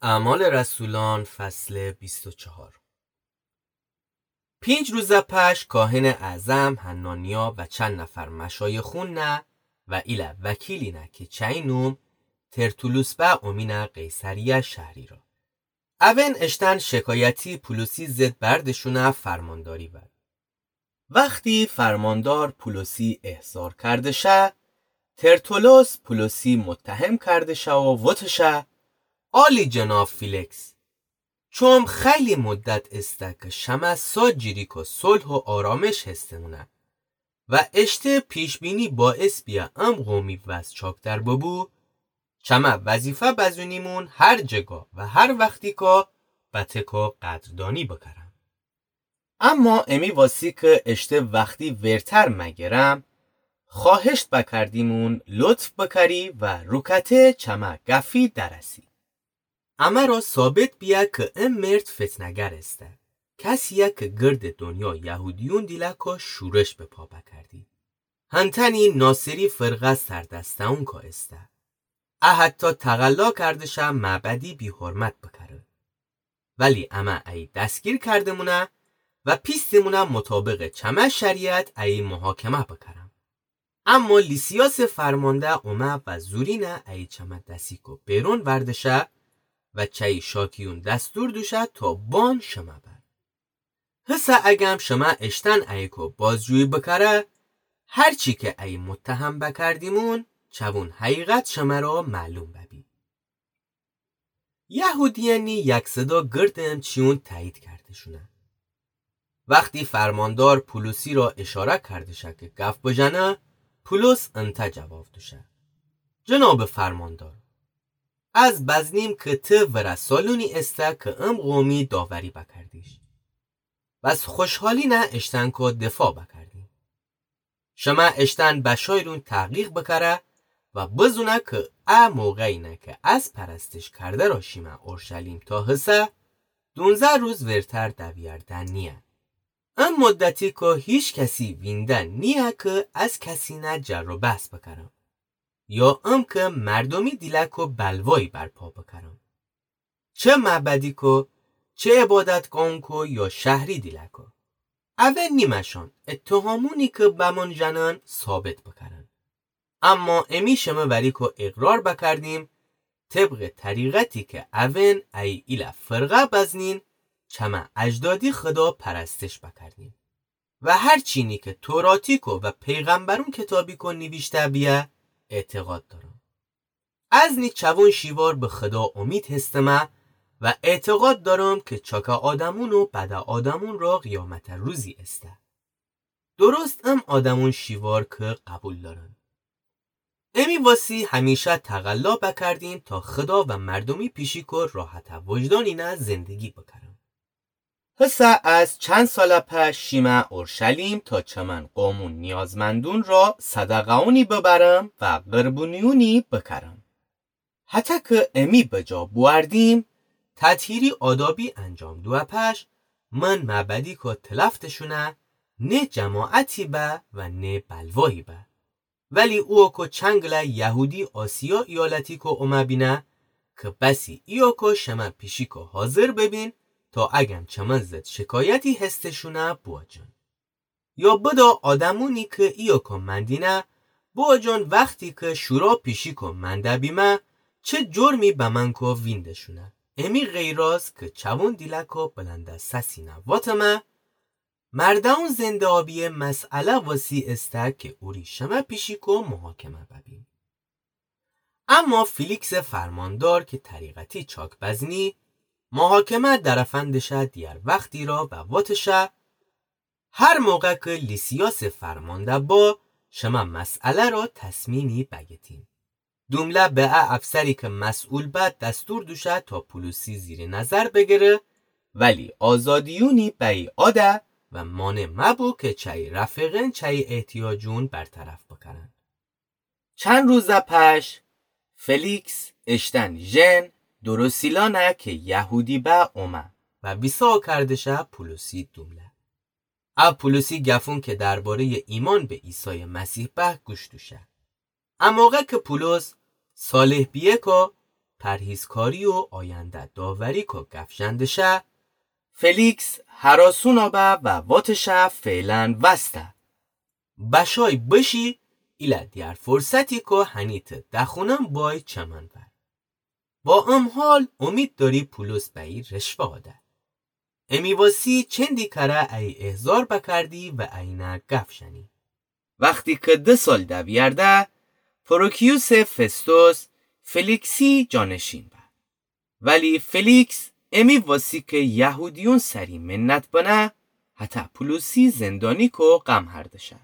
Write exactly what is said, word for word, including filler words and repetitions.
اعمال رسولان، فصل بیست و چهار. پینج روز پش کاهن اعظم حنانیا و چند نفر مشایخونٚ و ایله وکیلینه کی چأیی نوم ترتولوس به اومینه قیصریه شهری را. اون اشتن شکایتی پولوسی ضد بردشونه فرمانداری ور. وختی فرماندار پولوسی احضار کرده شه، ترتولوس پولوسی متهم کرده شه و وتشه: عالی جناب فیلیکس، چوم خیلی مدت ایسته کی شمه سا جیری کو صلح و آرامش هسته‌مونه و اشته پیش‌بینی باعث بیه ام قومی وضع چاک‌تر ببو، چمه وظیفه بزونیمون هر جگا و هر وختی کا بتکا قدردانی بکرم. اما امی واسی کی اشته وختی ورتر مگرم، خواهشت بکردیمون لطف بکری و روکته چمه گفی درسی. امه را ثابت بیه کی ام مرد فتنه‌گر ایسته، کسیه کی گرد دنیا یهودیون دیلکا شورش به پا بکردی. هنتنی ناصری فرقه سردسته‌ونکا ایسته. ا حتی تقلا کرده شه معبدی بی‌حرمت بکره. ولی امه ای دستگیر کرده‌مونه و پیسته‌مونه مطابق چمه شریعت ای محاکمه بکرم. اما لیسیاس فرمانده اومه و زورینه ای چمه دسیکو بیرون وردشه و چأیی شاکیون دستور دوشه تا بان شمه بر. هسه اگم شمه اشتن ایکو بازجویی بکره، هر چی کی ای متهم بکردیمون، چوون حقیقت شمه را معلوم ببی. یهودیأنی یک صدا گردم چیون تأیید کرده‌شونه. وختی فرماندار پولوسی را اشاره کرده شه کی گف بجنه، پولوس انته جواب دوشه: جناب فرماندار، از بزنیم کی ته ورسالونی ایسته کی ام قومی داوری بکردیش. بس خوشحالینه اشتنکو دفاع بکردیم. شمه اشتن بشایرون تحقیق بکره و بزونه کی ا موقعینه کی از پرستش کرده را شیمه اورشلیم تا هسه، دونزه روز ورتر دویرده نیه. ام مدتی کی هیچ کسی وینده نیه کی از کسینه جر و بحث بکرم، یا ام کی مردومی دیلکو بلوایی برپا بکرم. چه معبدیکو، چه عبادتگاهونکو یا شهری دیلکو. اون نیمه‌شان اتهامونی کی بمون جنن ثابت بکرن. اما امی شمه وریکو اقرار بکردیم، طبق طریقتی کی اون ای ایله فرقه بزنین، چمه اجدادی خدا پرستش بکردیم و هر چینی کی توراتیکو و پیغمبرون کتابیکو نیویشته بیه اعتقاد دارم. از نی چوون شیوار به خدا امید هستمه و اعتقاد دارم کی چاکه آدمون و بده آدمون را قیامت روزی ایسته. درست ام آدمون شیوار کی قبول دارن. امی واسی همیشه تقلا بکردیم تا خدا و مردومی پیشیکو راحت وجدانینه زندگی بکرم. هسه از چند سال پش شیمه اورشلیم تا چمن قومون نیازمندون را صدقه‌ونی ببرم و قربونیونی بکرم. هتک امی بجا بوأردیم، تطهیری آدابی انجام دوه پش، من معبدیکو تلفتشونه، نه جماعتی به و نه بلوایی به. ولی اوکو چنگله یهودی آسیا ایالتیکو اومه بینه، کی بسی ایوکو شمه پیشیکو حاضر ببین، تا اگم چمن ضد شکایتی هستشونه بوجن. یا بدا آدمونی کی ایوکو مندینه، بوجن وختی کی شورا پیشیکو منده بیمه، چه جرمی بمنکو وینده‌شونه. امی غیراز کی چوون دیلکو بلند سسینه واتمه، مردون زنده‌یابی مسئله واسی ایسته کی اوری شمه پیشیکو محاکمه ببیم. اما فیلیکس فرماندار کی طریقتی چاک بزنی، محاکمه درفندشه دیگر وختی را و واتشه: هر موقع کی لیسیاس فرمانده با، شمه مسئله را تصمیمی بگیتیم. دومله به ا افسری کی مسئول به دستور دوشه تا پولوسی زیر نظر بگیره، ولی آزادیونی بی آده و مانع مبو کی چای رفیقین چای احتیاجون برطرف بکرن. چند روز پش فلیکس اشتن ژن دروسیلانه کی یهودی به اومه و ویسا کردشه پولوسی دومله. ا پولوسی گفون کی درباره‌ی ایمان به عیسی مسیح به گوش دوشه. ا موقع کی پولس صالح بیه کو پرهیزکاری و آینده داوری کو گف ژنده شه، فلیکس هراسونا به و واتشه فعلاً وسته. بشای بشی، ایله دیار فرصتی کو هنی ته دخونم بای چمن ور. با ام حال امید داری پولس به ای رشوه آده. امی واسی چندی کره ای احضار بکردی و اینه گف ژنی. وختی که ده سال دویرده، پروکیوس فستوس فلیکسی جانشین به. ولی فلیکس امی واسی که یهودیون سری منت بنه، هته پولسی زندانی کو قم هرده شه.